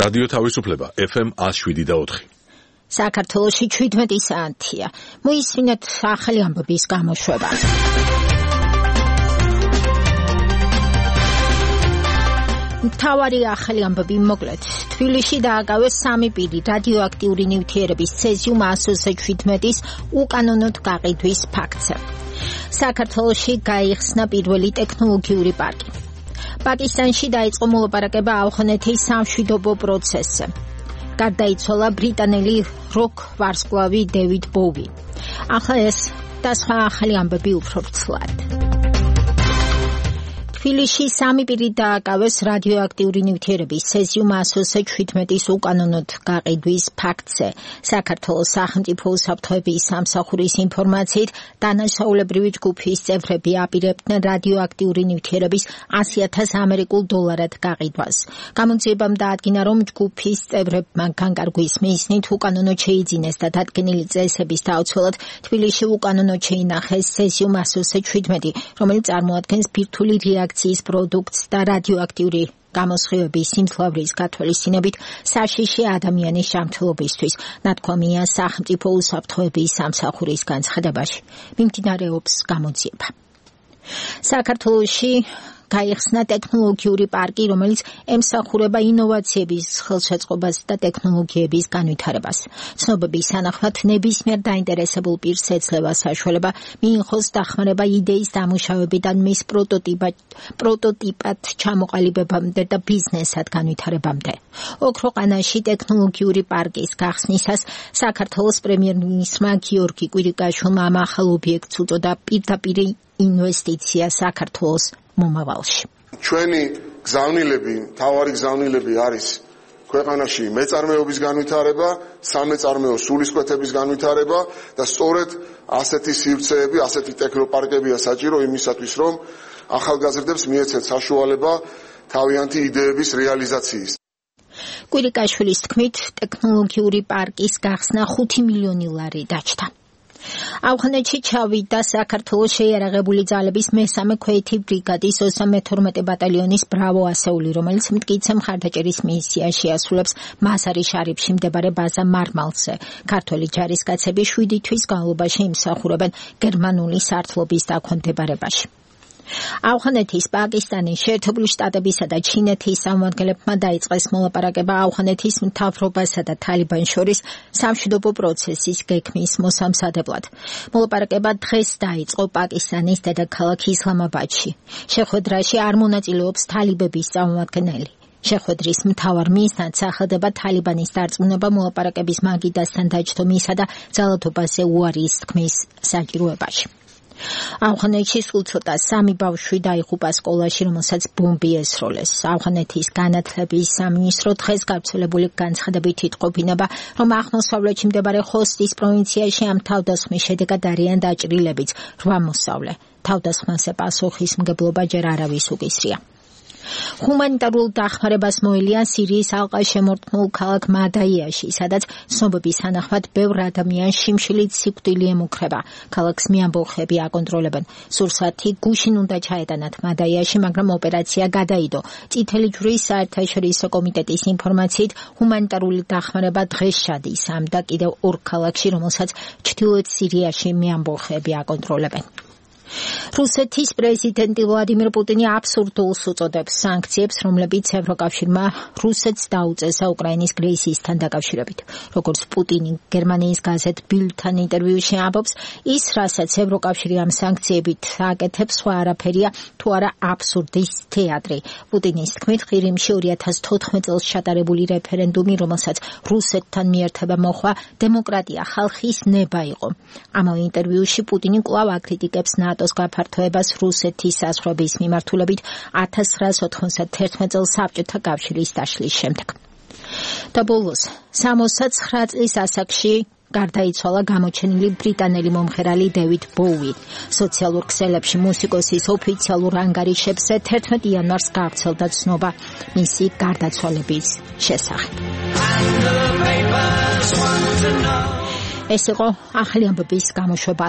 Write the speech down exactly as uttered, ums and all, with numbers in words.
რადიო თავისუფლება ეფ ემ one oh seven point four. საქართველოში შვიდმეტი საათია. მოისმინეთ ახალი ამბების გამოშვება. მთავარი ახალი ამბები მოკლედ. თბილისში დააკავეს სამი პირი რადიოაქტიური ნივთიერების ცეზიუმ one oh seven-ის უკანონოდ გაყიდვის ფაქტზე. საქართველოში გაიხსნა პირველი ტექნოლოგიური პარკი. პაკისტანში დაიწყო მოლაპარაკება ავღანეთის სამშვიდობო პროცესზე. გარდაიცვალა ბრიტანელი როკ ვარსკვლავი დევიდ ბოვი. ახლა ეს და სხვა ახალი ამბები უფრო ვრცლად. თბილისში სამი პირი დააკავეს რადიოაქტიური ნივთიერების ცეზიუმ one oh seven-ის უკანონოდ გაყიდვის ფაქტზე. საქართველოს სახელმწიფო უსაფრთხოების სამსახურის ინფორმაციით, დანაშაულებრივი ჯგუფის წევრები აპირებდნენ რადიოაქტიური ნივთიერების one hundred thousand ამერიკულ დოლარად გაყიდვას. გამოძიებამ დაადგინა, რომ ჯგუფის წევრებმა განკარგვის მიზნით უკანონოდ შეიძინეს და დადგენილი წესების დაუცველად თბილისში უკანონოდ შეინახეს ცეზიუმ one oh seven, რომელიც წარმოადგენს ბირთვული რეაქციის პროდუქტს და რადიოაქტიური გამოსხივების სიმძლავრის გათვალისწინებით საშიში ადამიანის ჯანმრთელობისთვის, ნათქვამია სახელმწიფო უსაფრთხოების სამსახურის განცხადებაში. მიმდინარეობს გამოძიება. საქართველოში გაიხსნა ტექნოლოგიური პარკი, რომელიც ემსახურება ინოვაციების ხელშეწყობას და ტექნოლოგიების განვითარებას. ცნობების თანახმად, ნებისმიერ დაინტერესებულ პირს ეძლევა საშუალება მიიღოს დახმარება იდეის დამუშავებიდან მის პროტოტიპად ჩამოყალიბებამდე და ბიზნესად განვითარებამდე. ოქროყანაში ტექნოლოგიური პარკის გახსნისას საქართველოს პრემიერ-მინისტრმა გიორგი კვირიკაშვილმა ამ ახალ ობიექტს უწოდა პირდაპირ ინვესტიცია საქართველოს მომავალში. ჩვენი გზავნილები, მთავარი გზავნილები არის ქვეყანაში მეწარმეობის განვითარება, სამეწარმეო სულისკვეთების განვითარება და სწორედ ასეთი სივრცეები, ასეთი ტექნოპარკებია საჭირო იმისათვის, რომ ახალგაზრდებს მიეცეთ საშუალება თავიანთი იდეების რეალიზაციის. კვირიკაშვილის თქმით, ტექნოლოგიური პარკის გახსნა ხუთი მილიონი ლარი დაჭდა. ავღანეთში ჩავიდა საქართველოს შეიარაღებული ძალების მესამე ქვეითი ბრიგადის ოცდამეთორმეტე ბატალიონის ბრავო ასეული, რომელიც მტკიცე მხარდაჭერის მისიას შეასრულებს მაზარი შარიფში მდებარე ბაზა მარმალზე. ქართველი ჯარისკაცები შვიდი თვის განმავლობაში იმსახურებენ გერმანული სარდლობის დაქვემდებარებაში. ავღანეთის, პაკისტანის, შეერთებული შტატებისა და ჩინეთის წარმომადგენლებმა დაიწყეს მოლაპარაკება ავღანეთის მთავრობასა და თალიბანს შორის სამშვიდობო პროცესის გეგმის მოსამზადებლად. მოლაპარაკება დღეს დაიწყო პაკისტანის დედაქალაქ ისლამაბადში. შეხვედრაში არ მონაწილეობს თალიბების წარმომადგენელი. შეხვედრის მთავარ მიზნად სახელდება თალიბანის დარწმუნება მოლაპარაკების მაგიდასთან დაჯდომისა და ძალადობაზე უარის თქმის საჭიროებაში. ავღანეთში სულ ცოტა სამი ბავშვი დაიღუპა სკოლაში, რომელსაც ბომბი ესროლეს. ავღანეთის განათლების სამინისტრო დღეს გავრცელებული განცხადებით იტყობინება, რომ აღმოსავლეთში მდებარე ხოსტის პროვინციაში ამ თავდასხმის შედეგად არიან დაჭრილებიც რვა მოსწავლე. თავდასხმაზე პასუხისმგებლობა ჯერ არავის უკისრია. ჰუმანიტარულ დახმარებას მოელია სირიის ალყაშემორტყმულ ქალაქ მადაიაში, სადაც ცნობების თანახმად ბევრ ადამიანს შიმშილით სიკვდილი ემუქრება. ქალაქს მეამბოხები აკონტროლებენ. სურსათი გუშინ უნდა ჩაეტანათ მადაიაში, მაგრამ ოპერაცია გადაიდო. წითელი ჯვრის საერთაშორისო კომიტეტის ინფორმაციით, ჰუმანიტარული დახმარება დღეს ჩადის ამ და კიდევ ორ ქალაქში, რომელსაც ჩრდილოეთ სირიაში მეამბოხები აკონტროლებენ. რუსეთის პრეზიდენტი ვლადიმირ პუტინი აბსურდულს უწოდებს სანქციებს, რომლებიც ევროკავშირმა რუსეთს დაუწესა უკრაინის კრიზისთან დაკავშირებით. როგორც პუტინი გერმანიის გაზეთ ბილდთან ინტერვიუში ამბობს, ის, რასაც ევროკავშირი ამ სანქციებით აკეთებს, სხვა არაფერია, თუ არა აბსურდის თეატრი. პუტინის თქმით, ყირიმში ორი ათას თოთხმეტ წელს ჩატარებული რეფერენდუმი, რომელსაც რუსეთთან მიერთება მოხვა, დემოკრატია, ხალხის ნება იყო. ამავე ინტერვიუში პუტინი კვლავ აკრიტიკებს ნატოს გაფართოებას რუსეთის საზღვრების მიმართულებით ათას ცხრაას ოთხმოცდათერთმეტ წელს საბჭოთა კავშირის დაშლის შემდეგ. და ბოლოს, სამოცდაცხრა წლის ასაკში გარდაიცვალა გამოჩენილი ბრიტანელი მომღერალი დევიდ ბოუი. სოციალურ ქსელებში მუსიკოსის ოფიციალურ ანგარიშებზე თერთმეტ იანვარს გავრცელდა ცნობა მისი გარდაცვალების შესახებ. ეს იყო ახალი ამბების გამოშვება